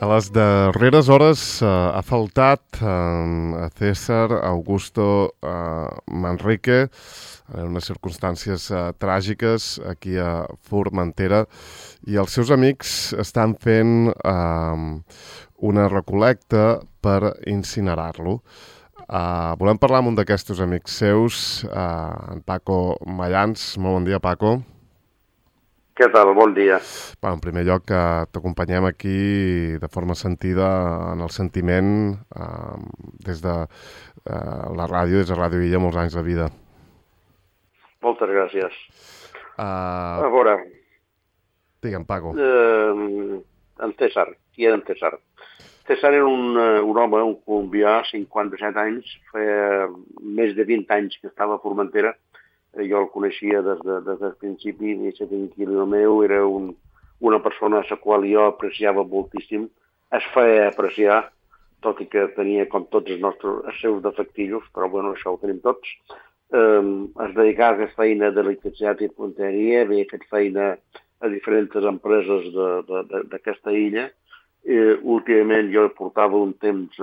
A les darreres hores ha faltat a César Augusto Manrique en unes circumstàncies tràgiques aquí a Formentera i els seus amics estan fent una recol·lecta per incinerar-lo. Volem parlar amb un d'aquests amics seus, en Paco Mayans. Molt bon dia, Paco. Què tal? Bon dia. En primer lloc, t'acompanyem aquí de forma sentida en el sentiment des de la ràdio, des de Ràdio Illa, molts anys de vida. Moltes gràcies. A veure... Digue'm, Paco. En César. Qui era en César? César era un home, un colombià, 57 anys, feia més de 20 anys que estava a Formentera. Jo el coneixia des del principi, i ser tranquil·lo meu, era una persona a la qual jo apreciava moltíssim, es feia apreciar, tot i que tenia com tots els seus defectillos, però bueno, això ho tenim tots. Es dedicava a aquesta feina d'electricitat i punteria, havia fet feina a diferents empreses d'aquesta illa. Últimament jo portava un temps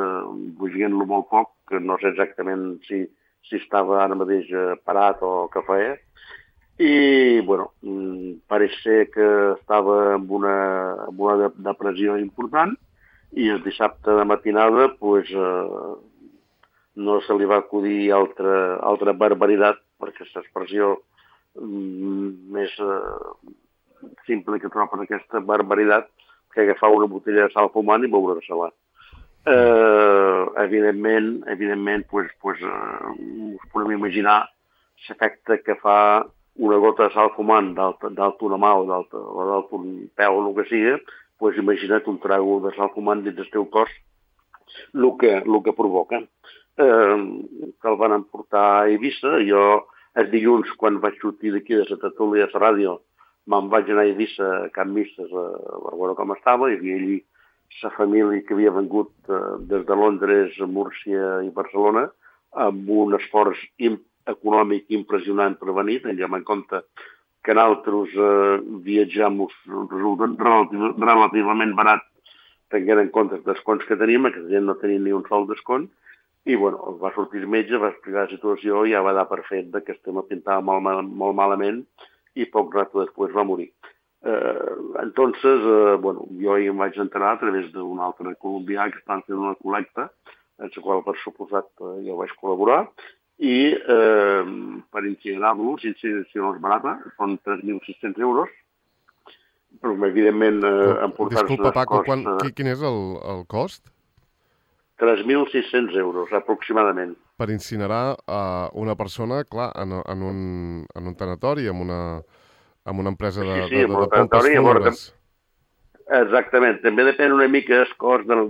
bugint-lo molt poc, que no sé exactament si estava ara mateix parat o què feia. I, bueno, pareix ser que estava amb una depressió important i el dissabte de matinada pues, no se li va acudir altra barbaritat, perquè és l'expressió més simple que trobo en aquesta barbaritat, que agafar una botella de sal fumant i beure-se-la. Evidentment, us podem imaginar l'efecte que fa una gota de sal fumant dalt una mà o dalt un peu o el que sigui, pues imagina't un trago de sal fumant dins del teu cos, el que provoca. Que el van emportar a Eivissa. Jo, el dilluns, quan vaig sortir d'aquí de la tertúlia de la ràdio, me'n vaig anar a Eivissa a Can Misses a veure com estava. Hi havia allí la família que havia vengut des de Londres, Múrcia i Barcelona, amb un esforç econòmic impressionant per venir, tenint en compte que nosaltres viatjam relativament barat, tenint en compte els desconts que teníem, que la gent no tenia ni un sol descont, i bueno, va sortir el metge, va explicar la situació i ja va dar per fet que el tema pintava molt malament i poc rato després va morir. Entonces, bueno, jo hi em vaig enterar a través d'un altre colombià que estan fent una col·lecta, en la qual, per suposat, jo vaig col·laborar, i per incinerar-lo, si no és barata, són 3.600 euros, però evidentment emportar-se... Disculpa, Paco, quin és el cost? 3.600 euros, aproximadament. Per incinerar una persona, clar, en un tanatori, amb una empresa de pompes fúnebres. Exactament. També depèn una mica el cost de la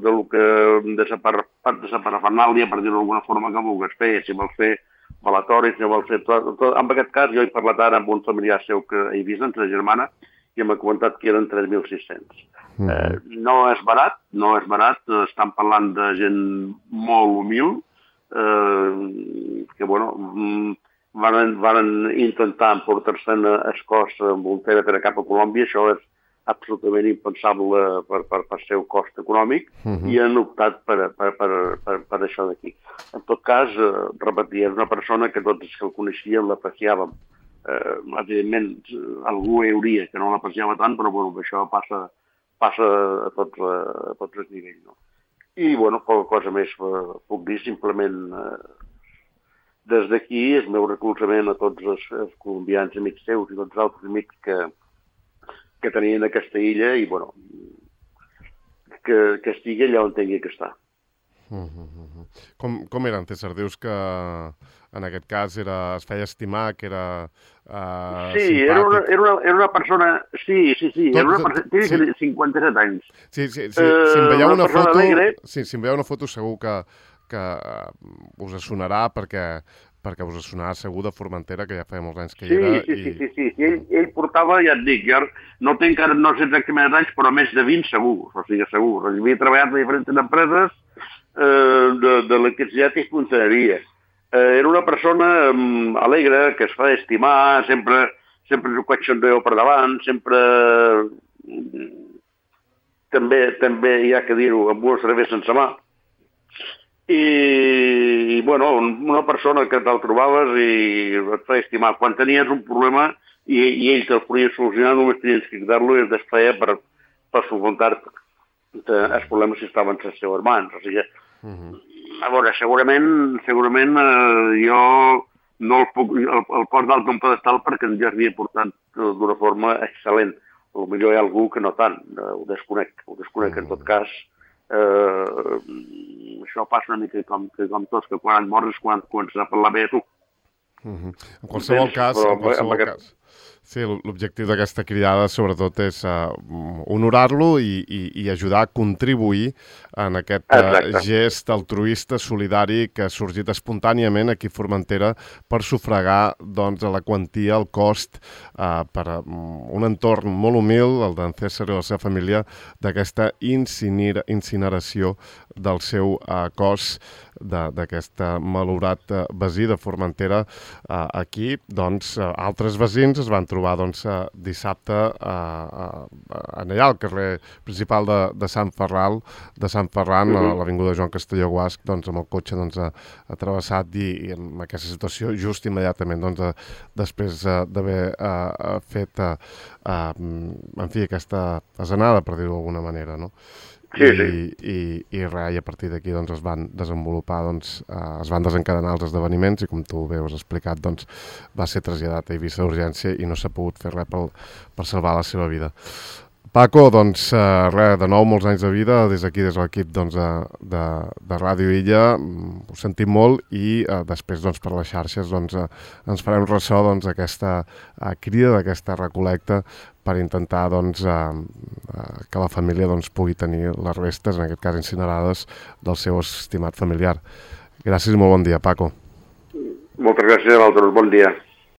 parafernàlia, per dir-ho d'alguna forma, que vulguis fer. Si vols fer velatoris, si vols fer tot. En aquest cas, jo he parlat ara amb un familiar seu que he vist, entre la germana, i m'ha comentat que eren 3.600. No és barat, estan parlant de gent molt humil, que, bueno, van intentar emportar-se'n el cos amb un per cap a Colòmbia. Això és absolutament impensable per seu cost econòmic, i han optat per això d'aquí. En tot cas, repetir, és una persona que tots els que el coneixien l'apreciàvem. Evidentment, algú hi hauria que no l'apreciava tant, però bueno, això passa a tots els nivells. No? I, bueno, poca cosa més puc dir, simplement des d'aquí el meu recolzament a tots els colombians amics seus i tots els altres amics que tenien aquesta illa i, bueno, que estigui allà on tingui que estar. Com era en César? Dius que en aquest cas es feia estimar, que era sí, simpàtic. Era una persona... Sí, era una persona... Tenia 57 anys. Sí, si em veieu una foto segur que us sonarà perquè us sonarà segur de Formentera, que ja feia molts anys que hi era. Sí. Ell portava, ja et dic, jo no sé exactament anys, però més de 20 segur. O sigui, segur. Havia treballat a diferents empreses d'electricitat i punteria. Era una persona alegre, que es fa estimar, sempre és un cotxondeo per davant, sempre també hi ha que dir-ho, amb una cervesa sense mà. I bueno, una persona que te'l trobaves i et feia estimar. Quan tenies un problema i ell te'l podia solucionar, només tenies que cridar-lo i es desfeia per solucionar-te els problemes si estaven a les seves mans. O sigui, a veure, segurament jo no el poso dalt d'un pedestal perquè ens ja havia portat d'una forma excel·lent. Potser hi ha algú que no tant, ho desconec en tot cas. Això passa una mica com tots, que quan et mors és quan comences a parlar bé a tu. En qualsevol cas, sí, l'objectiu d'aquesta cridada sobretot és honorar-lo i ajudar a contribuir en aquest gest altruista, solidari, que ha sorgit espontàniament aquí a Formentera per sufragar la quantia, el cost per un entorn molt humil, el d'en César i la seva família, d'aquesta incineració del seu cos, d'aquest malaurat veí de Formentera. Aquí, altres veïns es van trobar dissabte allà al carrer principal de Sant Ferran, a l'avinguda Joan Castelló Guasc, amb el cotxe atravessat i en aquesta situació just immediatament després d'haver fet aquesta asenada, per dir-ho d'alguna manera, no? Sí. I a partir d'aquí es van desenvolupar, es van desencadenar els esdeveniments i, com tu bé has explicat, va ser traslladat a Eivissa d'urgència i no s'ha pogut fer res per salvar la seva vida. Paco, de nou, molts anys de vida des d'aquí, des de l'equip de Ràdio Illa. Ho sentim molt i després per les xarxes ens farem ressò d'aquesta crida, d'aquesta recolecta per intentar que la família pugui tenir les restes, en aquest cas incinerades, del seu estimat familiar. Gràcies i molt bon dia, Paco. Moltes gràcies a vosaltres, bon dia.